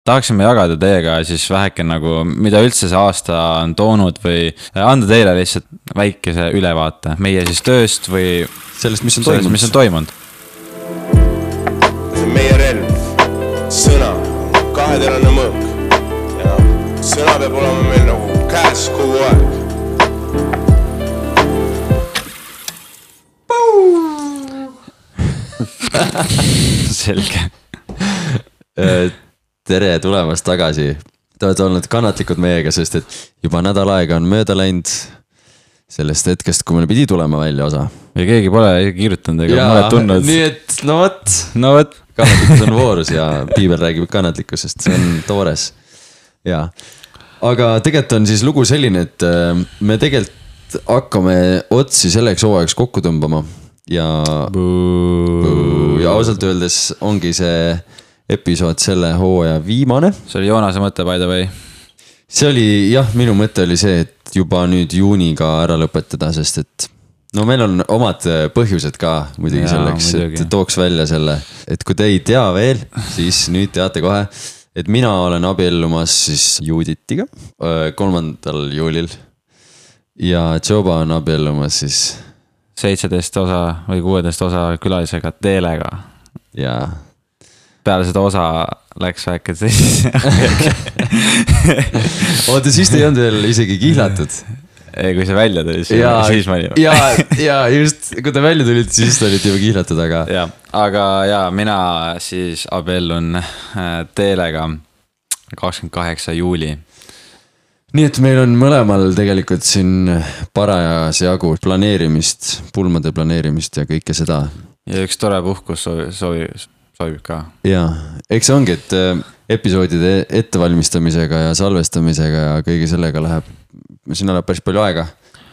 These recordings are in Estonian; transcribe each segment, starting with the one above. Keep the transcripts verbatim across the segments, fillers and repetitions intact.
tahaksime jagada teiega siis väheke nagu, mida üldse see aasta on toonud või anda teile lihtsalt väikese ülevaate meie siis tööst või sellest, mis on toimunud. Mis on toimunud. See on meie relv, sõna, kaheterane mõõk ja sõna peab olema meil nagu käes kogu aeg. Selge. Tere tulemast tagasi. Te olete olnud kannatlikud meiega, sest et juba nädal aega on mööda läinud sellest hetkest, kui meil pidi tulema välja osa. Ja keegi pole kirjutanud ega mulle tundnud. Nii et, no võt, no võt. Kannatlikkus on voorus ja Piibel räägib kannatlikkusest, see on toores. Ja. Aga tegelikult on siis lugu selline, et me tegelikult hakkame otsi selleks hooajaks kokku tõmbama ja, ja ausalt öeldes ongi see episood selle hooaja viimane. See oli Joonase mõte by the way. See oli, jah, minu mõte oli see, et juba nüüd juuniga ära lõpetada, sest et no meil on omad põhjused ka muidugi ja, selleks, muidugi. Et tooks välja selle, et kui te ei tea veel, siis nüüd teate kohe, et mina olen abiellumas siis Juditiga kolmandal juulil ja Joba on abiellumas siis seitseteist osa või kuueteist osa külalisega Teelega. Jaa. Peale seda osa läks väike siis. Oota, siis te ei olnud veel isegi kihlatud. Ei, kui see välja tuli, ja, siis ma olin. Ja, ja just, kui te välja tulid, siis te olid juba kihlatud, aga... Ja, aga ja, mina siis abiellun Teelega kakskümmend kaheksa juuli. Nii et meil on mõlemal tegelikult siin parajas jagu planeerimist, pulmade planeerimist ja kõike seda. Ja üks tore puhkus soovi, soovi, soovib ka. Ja, eks ongi, et episoodide ettevalmistamisega ja salvestamisega ja kõige sellega läheb, siin läheb päris palju aega,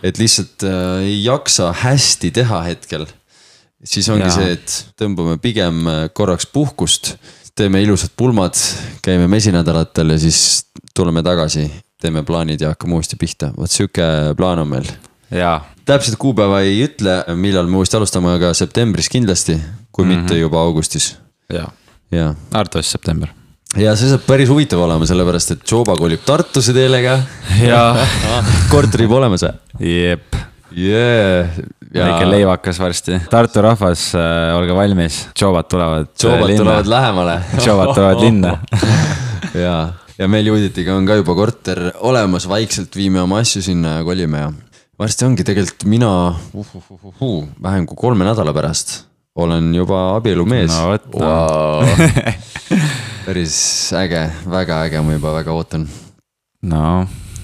et lihtsalt ei jaksa hästi teha hetkel. Siis ongi ja. See, et tõmbame pigem korraks puhkust, teeme ilusad pulmad, käime mesinädalatel ja siis tuleme tagasi. Teeme plaanid ja hakkame uuesti pihta. Võt süke plaan on meil. Jaa. Täpselt kuupäeva ei ütle, millal me uuesti alustame, aga septembris kindlasti, kui mm-hmm. mitte juba augustis. Jaa. Ja. Artus september. Ja see saab päris huvitav olema, sellepärast, et Joba kolib Tartuse Teelega. Jaa. Korteri juba olemas. Jep. Yeah. Ja. Väike leivakas varsti. Tartu rahvas, äh, olge valmis. Jobat tulevad Jobat linna. tulevad lähemale. Jobat tulevad linna. Jaa. Ja meil Juditiga on ka juba korter olemas, vaikselt viime oma asju sinna ja kolime ja varsti ongi tegelikult mina uh, uh, uh, uh, vähem kui kolme nädala pärast olen juba abielumees. No võt, no. Wow. Päris äge, väga äge, ma juba väga ootan. No,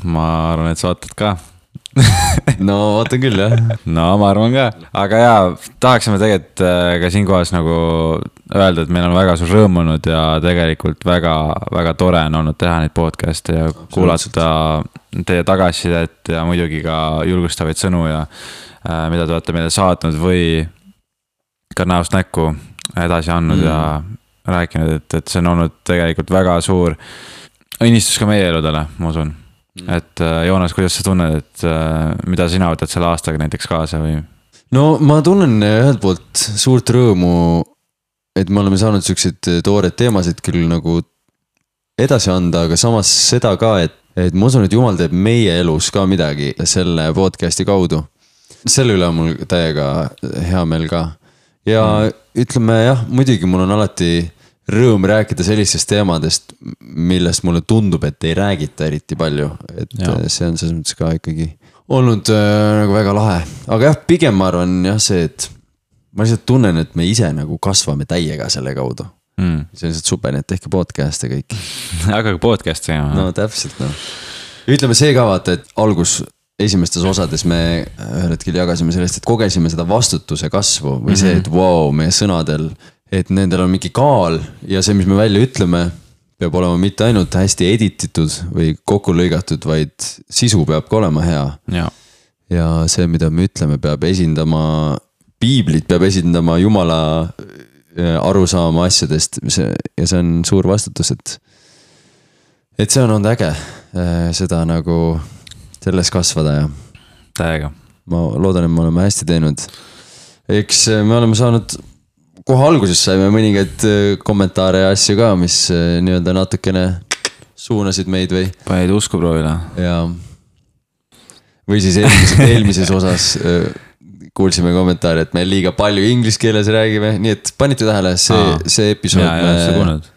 ma arvan, et sa ootad ka. No ootan küll, jah. No ma arvan ka, aga jaa, tahaksime tegelikult ka siin kohas nagu öelda, et meil on väga suur rõõm olnud ja tegelikult väga, väga tore on olnud teha neid podcast'e ja kuulata teie tagasisidet ja muidugi ka julgustavaid sõnu ja äh, mida te olete meile saatnud või ka näost näkku edasi andnud mm. ja rääkinud, et, et see on olnud tegelikult väga suur õnnistus ka meie eludele, ma usun. Et Joonas, kuidas sa tunned, et mida sina võtad selle aastaga näiteks kaasa või? No ma tunnen ühelt poolt suurt rõõmu, et me oleme saanud sellised toored teemasid küll nagu edasi anda, aga samas seda ka, et, et ma usun, et Jumal teeb meie elus ka midagi selle podcasti kaudu. Selle üle on mul täiega hea meel ka. Ja mm. ütleme jah, muidugi mul on alati rõõm rääkida sellistest teemadest, millest mulle tundub, et ei räägita eriti palju. Et ja. See on selles mõttes ka ikkagi olnud äh, nagu väga lahe. Aga jah, pigem ma arvan jah see, et ma lihtsalt tunnen, et me ise nagu kasvame täiega selle kaudu. Mm. See on lihtsalt super, et tehke podcast ja kõik. Aga podcast ja. No täpselt, no. Ütleme see ka vaata, et algus esimestes osades me ühel hetkel jagasime sellest, et kogesime seda vastutuse kasvu või see, et wow, meie sõnadel et nendel on mingi kaal ja see, mis me välja ütleme, peab olema mitte ainult hästi edititud või kokku lõigatud, vaid sisu peab ka olema hea. Ja. Ja see, mida me ütleme, peab esindama, piiblit peab esindama Jumala arusaama asjadest ja see on suur vastutus, et, et see on olnud äge seda nagu selles kasvada ja täiega. Ma loodan, et me oleme hästi teinud. Eks me oleme saanud kohe alguses saime mõningaid kommentaare ja asju ka, mis nii-öelda natukene suunasid meid või. Panid usku proovile. Ja. Või siis eelmises, eelmises osas kuulsime kommentaari, et me liiga palju inglise keeles räägime, nii et panite tähele, see, Aa, see episood. Jaa, jaa, see kuulnud.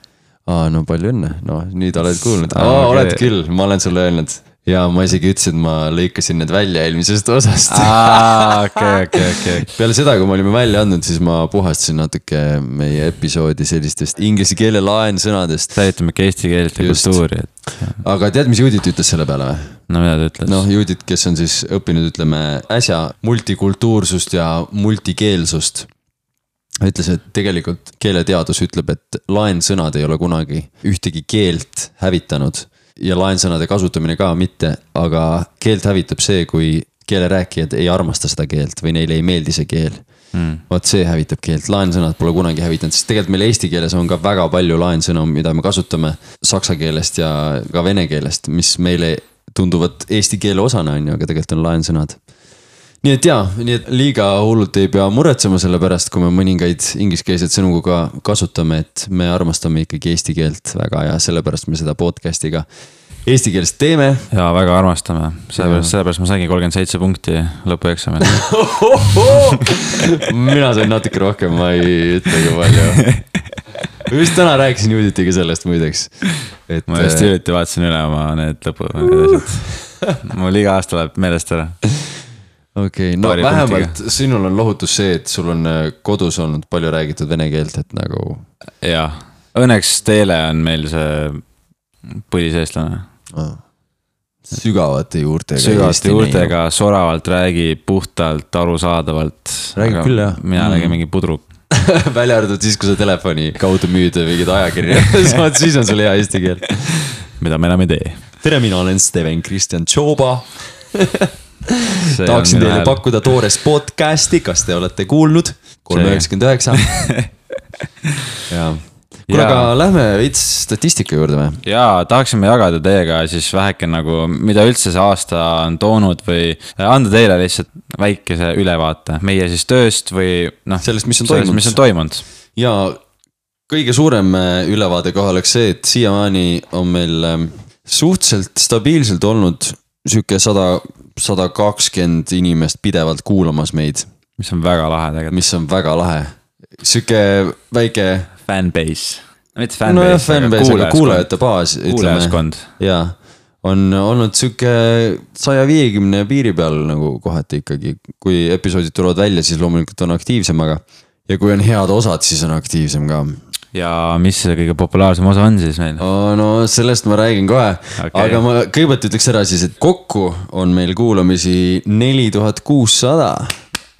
Aa, no palju õnne, no nüüd oled kuulnud. Aa, okay. Oled küll, ma olen sulle öelnud. Ja ma isegi ütlesin, et ma lõikasin need välja eelmisest osast. Aa, okei, okei, okei. Peale seda, kui ma olime välja andnud, siis ma puhastasin natuke meie episoodi sellistest inglise keele laensõnadest. Säilitame eesti keelt ja kultuuri. Et... Aga tead, mis Judit ütles selle peale või? No mida ta ütles? Noh, Judit, kes on siis õppinud, ütleme, äsja multikultuursust ja multikeelsust. Ütles, et tegelikult keeleteadus ütleb, et laensõnad ei ole kunagi ühtegi keelt hävitanud. Ja laensõnade kasutamine ka mitte, aga keelt hävitab see, kui keelerääkijad ei armasta seda keelt või neile ei meeldi see keel. Mm. Vaat see hävitab keelt, laensõnad pole kunagi hävitanud, sest tegelikult meil eesti keeles on ka väga palju laensõnu, mida me kasutame saksa keelest ja ka vene keelest, mis meile tunduvad eesti keele osana, aga tegelikult on laensõnad. Nii et jaa, nii et liiga hullult ei pea muretsema selle pärast, kui me mõningaid ingliskeelseid sõnu ka kasutame, et me armastame ikkagi eesti keelt väga ja sellepärast me seda podcastiga eesti keelest teeme. Ja väga armastame, sellepärast, sellepärast ma saingi kolmkümmend seitse punkti lõpueksamil. Mina sain natuke rohkem, ma ei ütlegi palju. Just täna rääkisin Juditiga sellest muideks. Et... Ma just hiljuti vaatasin üle oma need lõpu. Mul iga aasta läheb meelest ära. Okei, okay, no Paari vähemalt punktiga. Sinul on lohutus see, et sul on kodus olnud palju räägitud vene keelt, et nagu... Jaa, õnneks Teele on meil see põliseestlane. Ah. Sügavate juurtega. Sügavate juurtega, soravalt räägib, puhtalt, arusaadavalt. Räägib küll, jah. Mina mm. räägin mingi pudru. Välja arvatud siis, kui sa telefoni kaudu müüd mingid ajakirja. Siis on sul hea eesti keel. Mida me enam ei tee. Tere, mina olen Steven Kristjan Tšoba. Tahaksin teile hääl. Pakkuda toores podcasti, kas te olete kuulnud? kolm üheksakümmend üheksa. Ja. Kuule, aga lähme veits statistika juurde või? Jaa, tahaksime jagada teiega siis väheke nagu, mida üldse see aasta on toonud või anda teile lihtsalt väikese ülevaate meie siis tööst või noh, sellest, mis on sellest, toimunud. Mis on toimunud. Ja kõige suurem ülevaade kohe oleks see, et siiamaani on meil suhteliselt stabiilselt olnud süke sada, sada kakskümmend inimest pidevalt kuulamas meid. Mis on väga lahe tegelikult. Mis on väga lahe. Süke väike... Fanbase. Mitte fanbase, no jah, fanbase, aga kuulajate baas. Kuulajaskond. Jaa. On olnud süke saja viiekümne piiri peal nagu kohati ikkagi. Kui episoodid tulevad välja, siis loomulikult on aktiivsem, aga... Ja kui on head osad, siis on aktiivsem ka. Ja mis see kõige populaarsem osa on siis meil? Oh, no sellest ma räägin kohe, okay. Aga ma kõigepealt ütleks ära siis, et kokku on meil kuulamisi neli tuhat kuussada.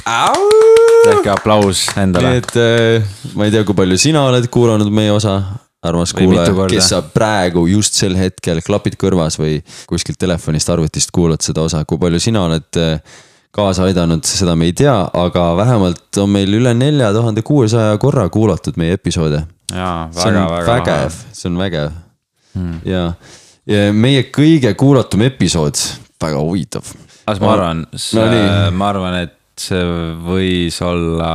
Äkki aplaus endale. Nii et ma ei tea, kui palju sina oled kuulanud meie osa, armas kuulaja, kes sa praegu just sel hetkel klapid kõrvas või kuskilt telefonist arvutist kuulad seda osa, kui palju sina oled kaasa aidanud, seda me ei tea, aga vähemalt on meil üle nelja tuhande kuuesaja korra kuulatud meie episoode. Jaa, väga, väga vägev, see on vägev. Hmm. Ja, ja meie kõige kuulatum episood, väga huvitav. As ma arvan, see, no, ma arvan, et see võis olla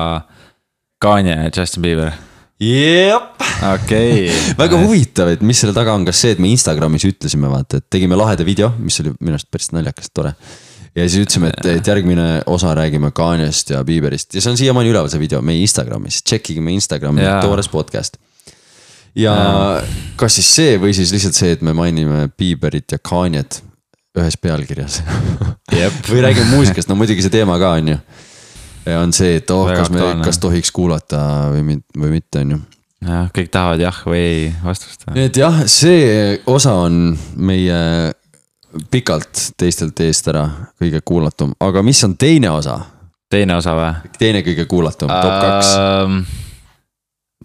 Kanye ja Justin Bieber. Jep. Okei. Okay. Väga huvitav, et mis selle taga on, kas see, et me Instagramis ütlesime, vaata, et tegime laheda video, mis oli minu arust päris naljakas, tore. Ja siis ütlesime, et, et järgmine osa räägime Kanyest ja Bieberist. Ja see on siiamaani üleval see video meie Instagramis. Tšekkige meie Instagrami, toores podcast. Ja, ja kas siis see või siis lihtsalt see, et me mainime Bieberit ja Kanyet ühes pealkirjas. Yep. Või räägime muusikast, no muidugi see teema ka on ju. Ja on see, et oh, kas, me, kas tohiks kuulata või, või mitte on ju. Ja, kõik tahavad jah või ei vastust. Et jah, see osa on meie... pikalt teistelt eest ära kõige kuulatum, aga mis on teine osa? Teine osa või? Teine kõige kuulatum, top kaks uh,.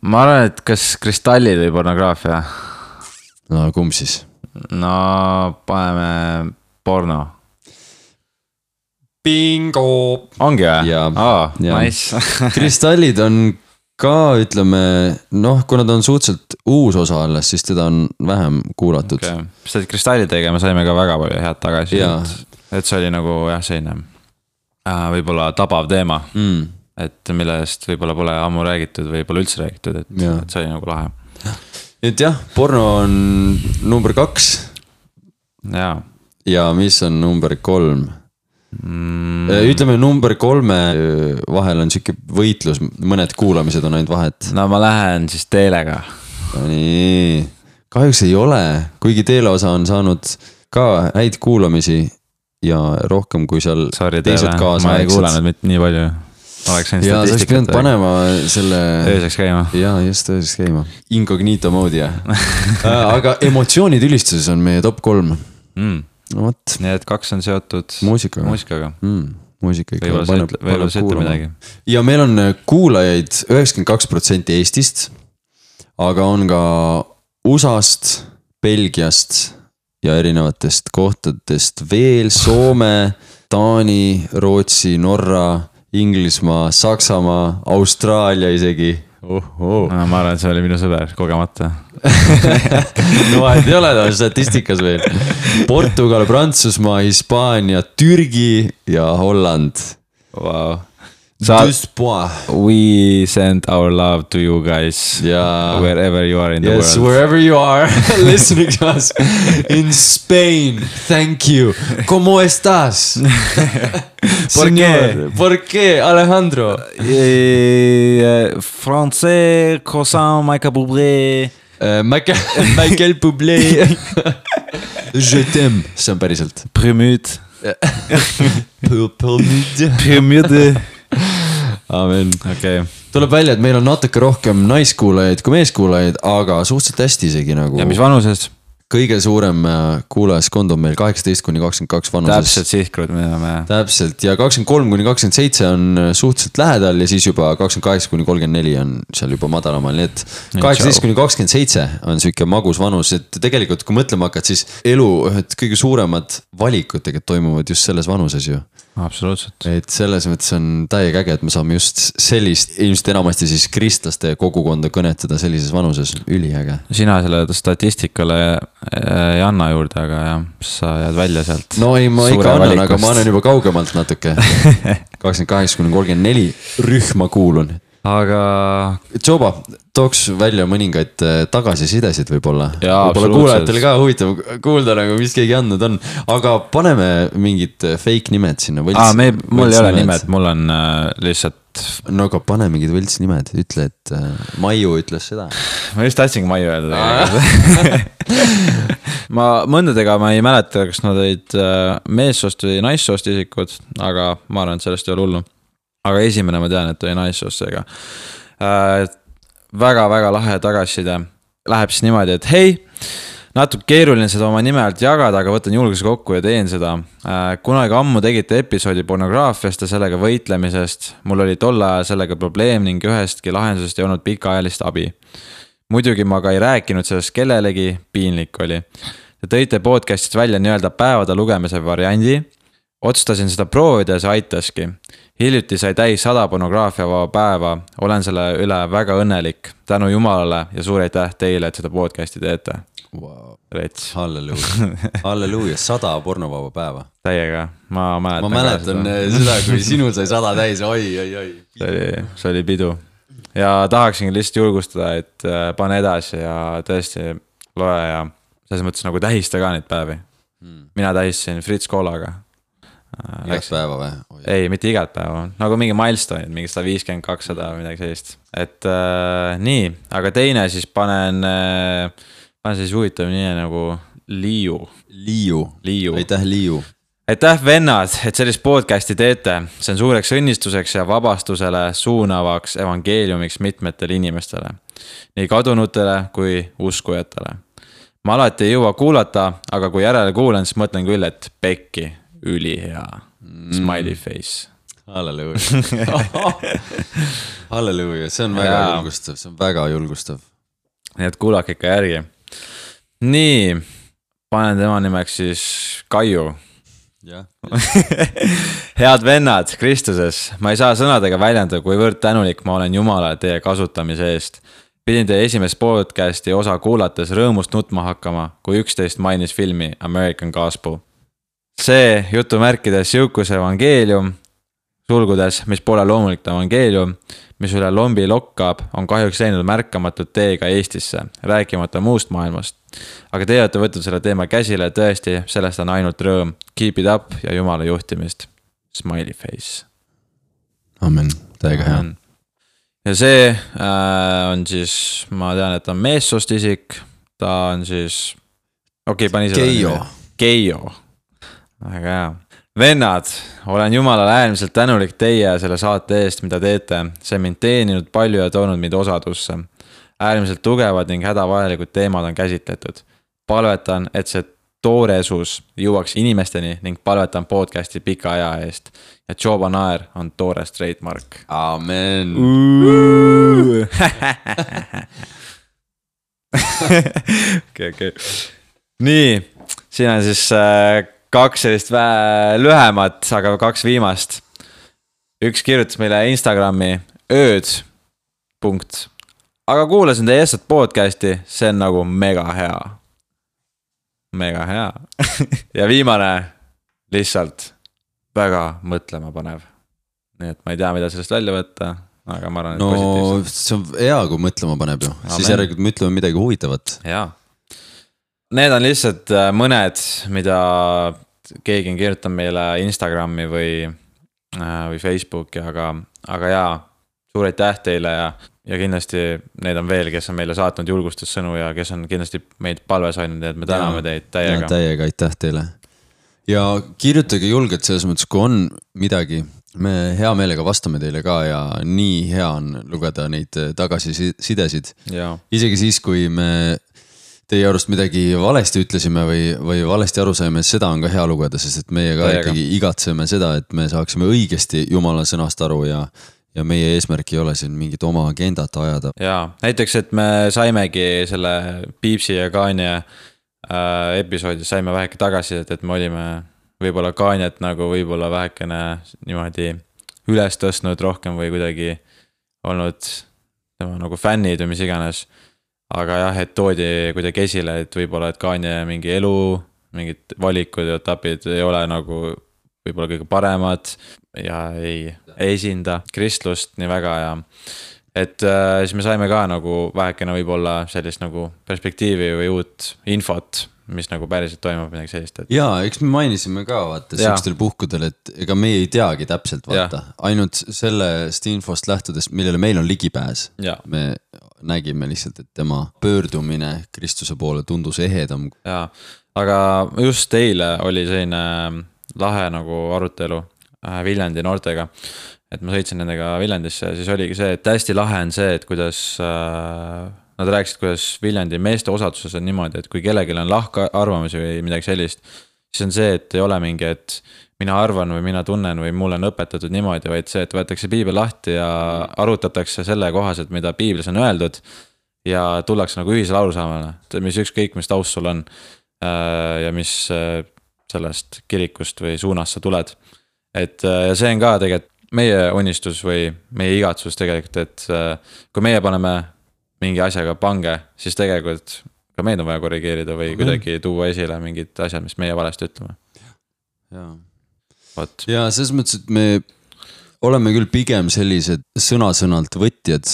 Ma arvan, et kas kristallid või pornograafia? No kumb siis? No paneme porno. Bingo! Ongi või? Jaa, oh, ja. Nice. Kristallid on ka, ütleme, noh, kuna ta on suhteliselt uus osa alles, siis teda on vähem kuulatud. Okay. Seda kristallidega me saime ka väga palju head tagasi. Et, et see oli nagu jah, selline äh, võib-olla tabav teema. Mm. et millest võib-olla pole ammu räägitud või pole üldse räägitud, et, et see oli nagu lahe. et jah, porno on number kaks. jaa. ja mis on number kolm mm.? ütleme number kolme vahel on siuke võitlus, mõned kuulamised on ainult vahet. no ma lähen siis teelega. nii, kahjuks ei ole, kuigi teeleosa on saanud ka häid kuulamisi ja rohkem kui seal Sorry, teised kaasa. ma ei kuulanud mitte nii palju. ja sa oleks pidanud panema selle ööseks käima. jaa, just ööseks käima. Incognito moodi jah. aga emotsioonid ülistuses on meie top kolm mm. no vot. nii et kaks on seotud muusikaga, muusikaga. Mm, muusika ikka võib-olla sa ütle midagi. ja meil on kuulajaid üheksakümmend kaks protsenti Eestist, aga on ka U S A-st, Belgiast ja erinevatest kohtadest veel, Soome, Taani, Rootsi, Norra, Inglismaa, Saksamaa, Austraalia isegi. Uh, uh. No, ma arvan, et see oli minu sõber, kogemata. no vahet ei ole, ta on statistikas veel. Portugal, Prantsusmaa, Hispaania, Türgi ja Holland. Wow. Sa, we send our love to you guys yeah. wherever you are in the yes, world. Wherever you are listening to us in Spain. Thank you. ¿Cómo estás? ¿Por qué? ¿Por qué, Alejandro? Eh, Français, croissant, Michael Bublé. Uh, Michael, Michael Bublé. Je t'aime. See on päriselt. Prümüd. Prümüd. Prümüd. Amen. Okay. Tuleb välja, et meil on natuke rohkem naiskuulajaid kui meeskuulajaid, aga suhteliselt hästi isegi nagu. Ja mis vanuses? Kõige suurem kuulajaskond on meil kaheksateist kuni kakskümmend kaks vanuses. Täpselt sihtgrud, mida me... Täpselt, ja kakskümmend kolm kuni kakskümmend seitse on suhteliselt lähedal ja siis juba kakskümmend kaheksa kuni kolmkümmend neli on seal juba madalamal. Nii et kaheksateist kuni kakskümmend seitse on siuke magus vanus, et tegelikult kui mõtlema hakkad, siis elu ühed kõige suuremad valikud tegelikult toimuvad just selles vanuses ju. Absoluutselt. Et selles mõttes on täiega äge, et me saame just sellist, ilmselt enamasti siis kristlaste kogukonda kõnetada sellises vanuses, üliäge. Sina selle statistikale ei anna juurde, aga jah, sa jääd välja sealt. No ei, ma ikka annan, valikust. Aga ma annan juba kaugemalt natuke. kakskümmend kaheksa kuni kolmkümmend neli rühma kuulun. Aga... Joba, tooks välja mõningaid tagasisidesid võib-olla. Jaa, võib-olla kuulajatele ka huvitav kuulda nagu, mis keegi andnud on. Aga paneme mingid fake nimed sinna. Võlts, Aa, me, mul ei ole nimed, mul on äh, lihtsalt... No aga pane mingid võlts nimed, ütle, et äh, Maiu ütles seda. Ma just tahtsingi Maiu öelda. ma mõndadega ma ei mäleta, kas nad olid äh, meessoost või naissoost isikud, aga ma arvan, et sellest ei ole hullu. Aga esimene ma tean, et oli naissoossega. Äh, väga-väga lahe tagasiside. Läheb siis niimoodi, et hei, natuke keeruline seda oma nime alt jagada, aga võtan julguse kokku ja teen seda. Äh, kunagi ammu tegite episoodi pornograafiast ja sellega võitlemisest. Mul oli tol ajal sellega probleem ning ühestki lahendusest ei olnud pikaajalist abi. Muidugi ma ka ei rääkinud sellest kellelegi, piinlik oli. Te tõite podcastist välja nii-öelda päevade lugemise variandi. Otsustasin seda proovida ja see aitaski. Hiljuti sai täis sada pornograafia vaba päeva. Olen selle üle väga õnnelik. Tänu Jumalale ja suur aitäh teile, et seda podcasti teete. Wow. Rets. Halleluuja. Halleluuja, sada pornovaba päeva. Täiega. Ma mäletan, ma mäletan seda. seda, kui sinul sai sada täis. Oi, oi, oi. See oli, see oli pidu. Ja tahaksingi lihtsalt julgustada, et pane edasi ja tõesti loe ja selles mõttes nagu tähista ka neid päevi. Hmm. Mina tähistasin Fritz Koolaga. Igat päeva või? Ei, mitte igat päeva, nagu mingi milestone, mingi sada viiskümmend kakssada või midagi sellist. Et äh, nii, aga teine siis panen, äh, panen siis huvitav nii nagu Liiu. Liiu, Liiu. Aitäh Liiu. Aitäh vennad, et sellist podcasti teete. See on suureks õnnistuseks ja vabastusele suunavaks evangeeliumiks mitmetele inimestele. Nii kadunutele kui uskujatele. Ma alati ei jõua kuulata, aga kui järele kuulen, siis mõtlen küll, et pekki. Üli hea. Smiley face. Halleluuja. Halleluuja, see on väga ja. julgustav, see on väga julgustav. Nii et kuulake ikka järgi. Nii, panen tema nimeks siis Kaiu. Ja. Head vennad Kristuses, ma ei saa sõnadega väljenda, kuivõrd tänulik ma olen Jumala teie kasutamise eest. Pidin teie esimest podcasti osa kuulates rõõmust nutma hakkama, kui üksteist mainis filmi American Gospel. See jutumärkides jõukuse evangeelium, sulgudes, mis pole loomulik evangeelium, mis üle lombi lokkab, on kahjuks läinud märkamatud teega Eestisse, rääkimata muust maailmast. Aga te olete võtnud selle teema käsile, tõesti, sellest on ainult rõõm. Keep it up ja jumala juhtimist. Smiley face. Amen, täiega hea. Ja see äh, on siis, ma tean, et on meessoost isik, ta on siis, okei, okay, pani seda. Keijo. Keijo. Väga hea. Vennad, olen jumalale äärmiselt tänulik teie selle saate eest, mida teete. See mind teeninud palju ja toonud mind osadusse. Äärmiselt tugevad ning hädavajalikud teemad on käsitletud. Palvetan, et see tooresus jõuaks inimesteni ning palvetan podcasti pika aja eest. Ja Joba Naer on toore trademark. Amen. Okei, okei. Nii, siin on siis äh, kaks sellist vä- lühemat, aga kaks viimast. Üks kirjutas meile Instagrami ööd. Punkt. Aga kuulasin teie eestat podcasti, see on nagu mega hea. Mega hea. Ja viimane lihtsalt väga mõtlema panev. Nii et ma ei tea, mida sellest välja võtta, aga ma arvan, et no, positiivselt. See on hea, kui mõtlema paneb ju. Amen. Siis järelikult me ütleme midagi huvitavat. Jaa. Need on lihtsalt mõned, mida keegi on kirjutanud meile Instagrami või, või Facebooki, aga, aga jaa, suur aitäh teile ja, ja kindlasti need on veel, kes on meile saatnud julgustussõnu ja kes on kindlasti meid palves ainult, et me täname ja, teid täiega. Täiega, aitäh teile. Ja kirjutage julgelt selles mõttes, kui on midagi, me hea meelega vastame teile ka ja nii hea on lugeda neid tagasisidesid. Isegi siis, kui me teie arust midagi valesti ütlesime või, või valesti aru saime, seda on ka hea lugeda, sest et meie ka ikkagi igatseme seda, et me saaksime õigesti Jumala sõnast aru ja, ja meie eesmärk ei ole siin mingit oma agendat ajada. Jaa, näiteks, et me saimegi selle Piipsi ja Kaania äh, episoodis saime väheke tagasi, et, et me olime võib-olla Kaaniat nagu võib-olla vähekene niimoodi üles tõstnud rohkem või kuidagi olnud tema nagu fännid või mis iganes. Aga jah, et toodi kuidagi esile, et võib-olla, et Kaania mingi elu, mingid valikud ja etapid ei ole nagu võib-olla kõige paremad ja ei esinda kristlust nii väga ja et äh, siis me saime ka nagu vähekene võib-olla sellist nagu perspektiivi või uut infot, mis nagu päriselt toimub midagi sellist. Et... Jaa, eks me mainisime ka vaata siukstel puhkudel, et ega me ei teagi täpselt vaata. Ja. Ainult sellest infost lähtudes, millele meil on ligipääs. Ja. Me nägime lihtsalt, et tema pöördumine Kristuse poole tundus ehedam. Jaa, aga just teile oli selline lahe nagu arutelu Viljandi noortega. Et ma sõitsin nendega Viljandisse ja siis oligi see, et hästi lahe on see, et kuidas äh, nad rääkisid, kuidas Viljandi meeste osaduses on niimoodi, et kui kellelgi on lahka arvamusi või midagi sellist, siis on see, et ei ole mingi, et mina arvan või mina tunnen või mulle on õpetatud niimoodi, vaid see, et võetakse piibel lahti ja arutatakse selle kohaselt, mida piiblis on öeldud ja tullakse nagu ühisele arusaamale, mis ükskõik, mis taust sul on ja mis sellest kirikust või suunast sa tuled. Et ja see on ka tegelikult meie unistus või meie igatsus tegelikult, et kui meie paneme mingi asjaga pange, siis tegelikult ka meid on vaja korrigeerida või kuidagi tuua esile mingid asjad, mis meie valesti ütleme. Jaa. Ja selles mõttes, et me oleme küll pigem sellised sõna-sõnalt võtjad,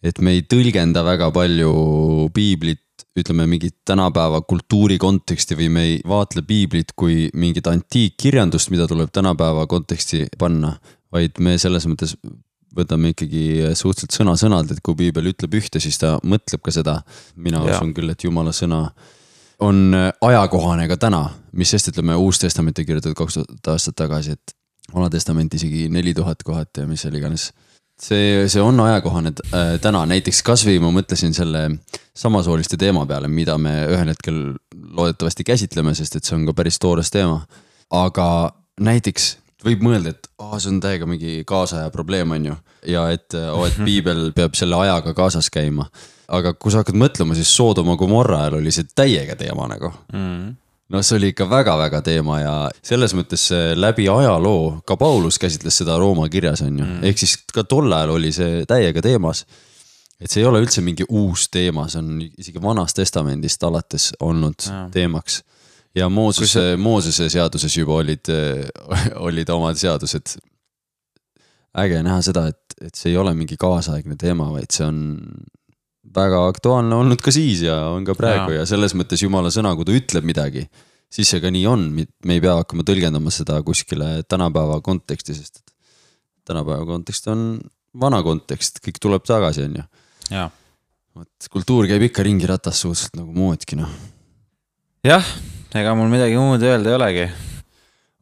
et me ei tõlgenda väga palju piiblit, ütleme mingit tänapäeva kultuuri konteksti või me ei vaatle piiblit kui mingit antiikkirjandust, mida tuleb tänapäeva konteksti panna, vaid me selles mõttes võtame ikkagi suhteliselt sõna-sõnalt, et kui piibel ütleb ühte, siis ta mõtleb ka seda. Mina ja. usun küll, et Jumala sõna on ajakohane ka täna, mis sest ütleme Uus Testament kirjutatud kaks tuhat aastat tagasi, et Vana Testament isegi neli tuhat kohati ja mis seal iganes. See, see on ajakohane täna, näiteks kasvõi ma mõtlesin selle samasooliste teema peale, mida me ühel hetkel loodetavasti käsitleme, sest et see on ka päris toores teema. Aga näiteks võib mõelda, et oh, see on täiega mingi kaasaja probleem on ju ja et, oh, et piibel peab selle ajaga kaasas käima. Aga kui sa hakkad mõtlema, siis Soodoma Gomorra ajal oli see täiega teema nagu. Mm. No see oli ikka väga-väga teema ja selles mõttes läbi ajaloo, ka Paulus käsitles seda Rooma kirjas on ju. Mm. Ehk siis ka tol ajal oli see täiega teemas. Et see ei ole üldse mingi uus teema, see on isegi Vanast Testamendist alates olnud ja. Teemaks. Ja Moosese, see... Moosese seaduses juba olid, olid omad seadused äge näha seda, et, et see ei ole mingi kaasaegne teema, vaid see on väga aktuaalne olnud ka siis ja on ka praegu ja, ja selles mõttes Jumala sõna, kui ta ütleb midagi, siis see ka nii on, me ei pea hakkama tõlgendama seda kuskile tänapäeva konteksti, sest tänapäeva kontekst on vana kontekst, kõik tuleb tagasi, on ju. Ja. Kultuur käib ikka ringi ratas suhteliselt nagu moodki, noh. Jah, ega mul midagi muud öelda ei olegi.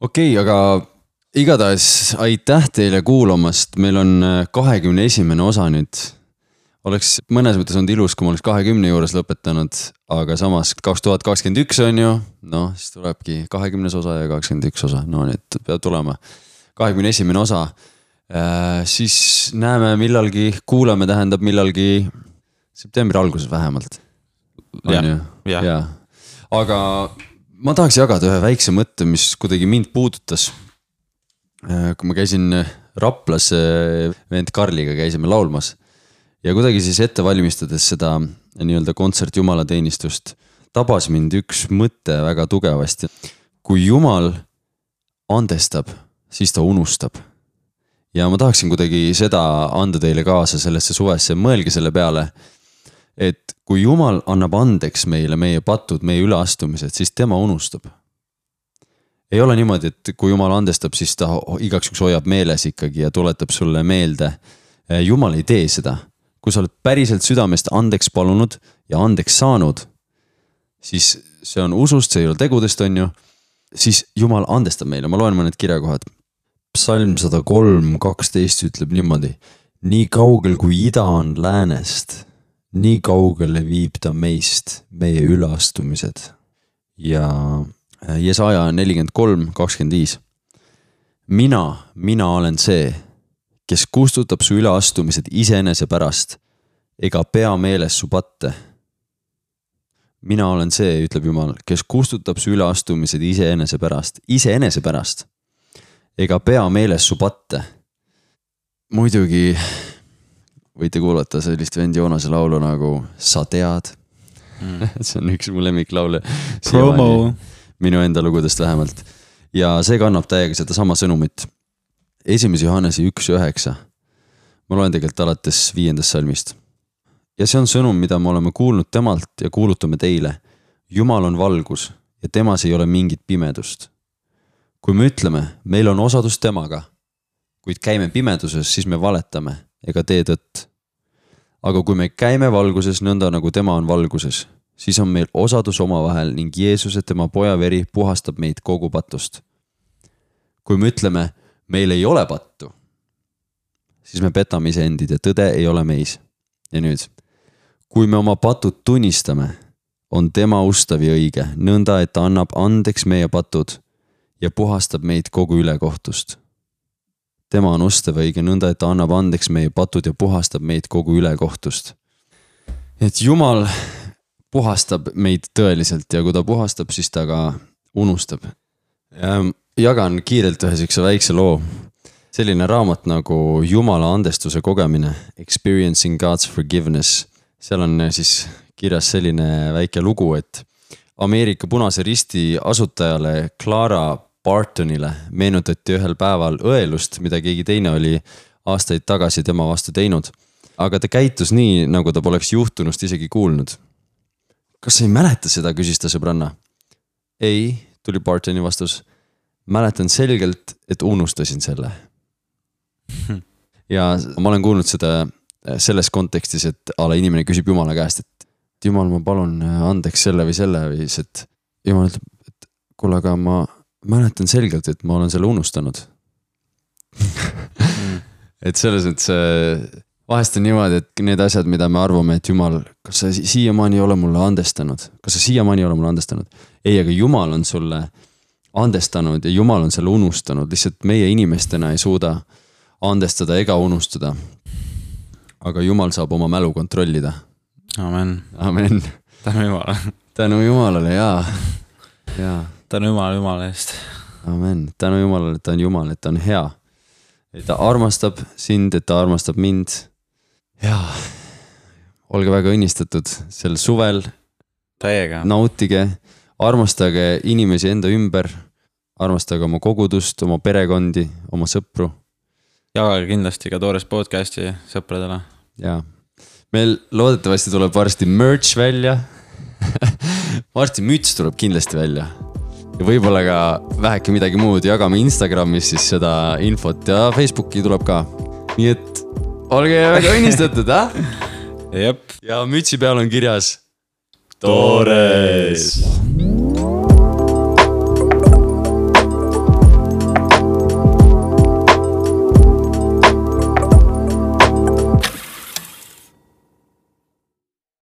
Okei, aga igatahes aitäh teile kuulamast, meil on kahekümne esimene osa nüüd. Oleks mõnes mõttes olnud ilus, kui ma oleks kahekümne juures lõpetanud, aga samas kaks tuhat kakskümmend üks on ju, noh, siis tulebki kahekümnes osa ja kakskümmend üks osa, no nüüd peab tulema kahekümne esimene osa. Siis näeme millalgi, kuulame tähendab millalgi septembri alguses vähemalt. Ja, ja. ja. Aga ma tahaks jagada ühe väikse mõtte, mis kuidagi mind puudutas. Kui ma käisin Raplas vend Karliga, käisime laulmas. Ja kuidagi siis ette valmistades seda nii-öelda kontsert jumalateenistust tabas mind üks mõte väga tugevasti. Kui Jumal andestab, siis ta unustab. Ja ma tahaksin kuidagi seda anda teile kaasa sellesse suvesse. Mõelge selle peale, et kui Jumal annab andeks meile meie patud, meie üleastumised, siis tema unustab. Ei ole niimoodi, et kui Jumal andestab, siis ta igaks üks hoiab meeles ikkagi ja tuletab sulle meelde. Jumal ei tee seda. Kui sa oled päriselt südamest andeks palunud ja andeks saanud, siis see on usust, see ei ole tegudest, on ju, siis Jumal andestab meile. Ma loen mõned kirjakohad. Psalm sada kolm kaksteist ütleb niimoodi. Nii kaugel kui ida on läänest, nii kaugele viib ta meist meie üleastumised. Ja Jesaja nelikümmend kolm kakskümmend viis. Mina, mina olen see, kes kustutab su üleastumised iseenese pärast, ega pea meeles su patte. Mina olen see, ütleb Jumal, kes kustutab su üleastumised iseenese pärast, iseenese pärast, ega pea meeles su patte. Muidugi võite kuulata sellist vend Joonase laulu nagu Sa tead. Mm. See on üks mu lemmiklaule. Promo. Minu enda lugudest vähemalt. Ja see kannab täiega seda sama sõnumit. Esimese Johannese üks üheksa. Ma loen tegelikult alates viiendast salmist. Ja see on sõnum, mida me oleme kuulnud temalt ja kuulutame teile. Jumal on valgus ja temas ei ole mingit pimedust. Kui me ütleme, meil on osadus temaga, kuid käime pimeduses, siis me valetame ega tee tõtt. Aga kui me käime valguses nõnda nagu tema on valguses, siis on meil osadus omavahel ning Jeesuse tema poja veri puhastab meid kogu patust. Kui me ütleme, meil ei ole pattu, siis me petame iseendid ja tõde ei ole meis. Ja nüüd, kui me oma patud tunnistame, on tema ustav ja õige, nõnda, et ta annab andeks meie patud ja puhastab meid kogu ülekohtust. Tema on ustav ja õige, nõnda, et ta annab andeks meie patud ja puhastab meid kogu ülekohtust. Et Jumal puhastab meid tõeliselt ja kui ta puhastab, siis ta ka unustab. Ja jagan kiirelt ühe siukse väikse loo. Selline raamat nagu Jumala andestuse kogemine, Experiencing God's Forgiveness. Seal on siis kirjas selline väike lugu, et Ameerika Punase Risti asutajale Clara Bartonile meenutati ühel päeval õelust, mida keegi teine oli aastaid tagasi tema vastu teinud. Aga ta käitus nii, nagu ta poleks juhtunust isegi kuulnud. Kas sa ei mäleta seda, küsis ta sõbranna? Ei, tuli Bartoni vastus. Mäletan selgelt, et unustasin selle. Ja ma olen kuulnud seda selles kontekstis, et ala inimene küsib Jumala käest, et Jumal, ma palun andeks selle või selle või et Jumal ütleb, et kuule, aga ma mäletan selgelt, et ma olen selle unustanud. Et selles, et see vahest on niimoodi, et need asjad, mida me arvame, et Jumal, kas sa siiamaani ei ole mulle andestanud? Kas sa siiamaani ei ole mulle andestanud? Ei, aga Jumal on sulle andestanud ja Jumal on selle unustanud. Lihtsalt meie inimestena ei suuda andestada ega unustada. Aga Jumal saab oma mälu kontrollida. Amen. Amen. Tänu Jumalale. Tänu Jumalale, jaa. jaa. Tänu Jumala Jumala eest. Amen. Tänu Jumalale, et ta on Jumal, et ta on hea. Et ta armastab sind, et ta armastab mind. Jaa. Olge väga õnnistatud sel suvel. Täiega. Nautige. Armastage inimesi enda ümber, armastage oma kogudust, oma perekondi, oma sõpru jagage kindlasti ka Toores podcasti sõpradele. Jaa, meil loodetavasti tuleb varsti merch välja. Varsti müts tuleb kindlasti välja. Ja võib-olla ka väheke midagi muud. Jagame Instagramis siis seda infot ja Facebooki tuleb ka. Nii et olge väga õnnistatud, ah? Jep. Ja mütsi peal on kirjas Toores.